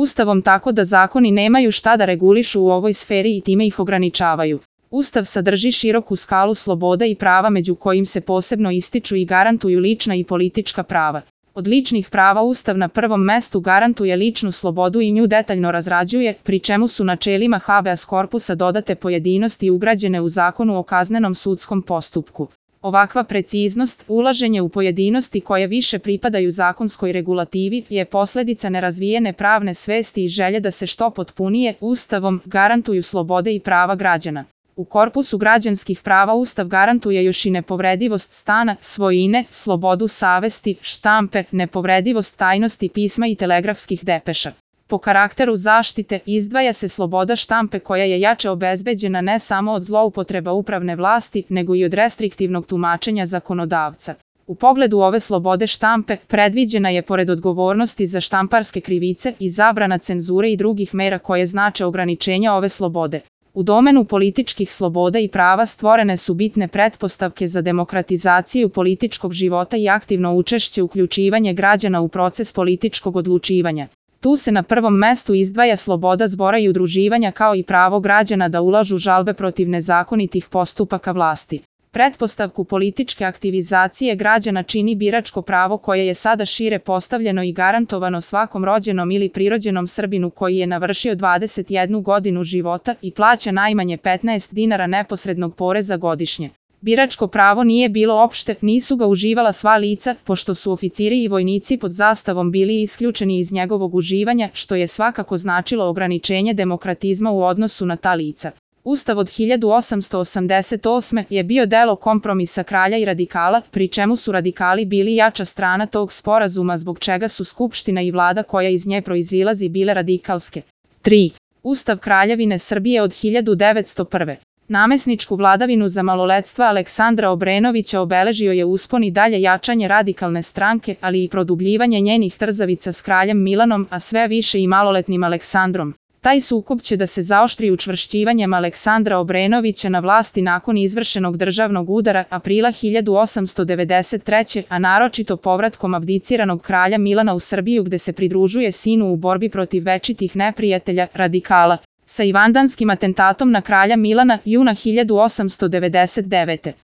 Ustavom tako da zakoni nemaju šta da regulišu u ovoj sferi i time ih ograničavaju. Ustav sadrži široku skalu sloboda i prava među kojim se posebno ističu i garantuju lična i politička prava. Od ličnih prava Ustav na prvom mestu garantuje ličnu slobodu i nju detaljno razrađuje, pri čemu su načelima habeas corpusa dodate pojedinosti ugrađene u Zakonu o kaznenom sudskom postupku. Ovakva preciznost, ulaženje u pojedinosti koje više pripadaju zakonskoj regulativi, je posledica nerazvijene pravne svesti i želje da se što potpunije Ustavom garantuju slobode i prava građana. U korpusu građanskih prava Ustav garantuje još i nepovredivost stana, svojine, slobodu savesti, štampe, nepovredivost tajnosti pisma i telegrafskih depeša. Po karakteru zaštite izdvaja se sloboda štampe koja je jače obezbeđena ne samo od zloupotreba upravne vlasti, nego i od restriktivnog tumačenja zakonodavca. U pogledu ove slobode štampe, predviđena je pored odgovornosti za štamparske krivice i zabrana cenzure i drugih mera koje znače ograničenja ove slobode. U domenu političkih sloboda i prava stvorene su bitne pretpostavke za demokratizaciju političkog života i aktivno učešće uključivanje građana u proces političkog odlučivanja. Tu se na prvom mestu izdvaja sloboda zbora i udruživanja kao i pravo građana da ulažu žalbe protiv nezakonitih postupaka vlasti. Pretpostavku političke aktivizacije građana čini biračko pravo koje je sada šire postavljeno i garantovano svakom rođenom ili prirođenom Srbinu koji je navršio 21 godinu života i plaća najmanje 15 dinara neposrednog poreza godišnje. Biračko pravo nije bilo opšte, nisu ga uživala sva lica, pošto su oficiri i vojnici pod zastavom bili isključeni iz njegovog uživanja, što je svakako značilo ograničenje demokratizma u odnosu na ta lica. Ustav od 1888. je bio delo kompromisa kralja i radikala, pri čemu su radikali bili jača strana tog sporazuma zbog čega su Skupština i vlada koja iz nje proizilazi bile radikalske. 3. Ustav Kraljevine Srbije od 1901. Namesničku vladavinu za maloletstva Aleksandra Obrenovića obeležio je uspon i dalje jačanje radikalne stranke, ali i produbljivanje njenih trzavica s kraljem Milanom, a sve više i maloletnim Aleksandrom. Taj sukob će da se zaoštri učvršćivanjem Aleksandra Obrenovića na vlasti nakon izvršenog državnog udara aprila 1893. a naročito povratkom abdiciranog kralja Milana u Srbiju gde se pridružuje sinu u borbi protiv večitih neprijatelja, radikala, sa ivandanskim atentatom na kralja Milana juna 1899.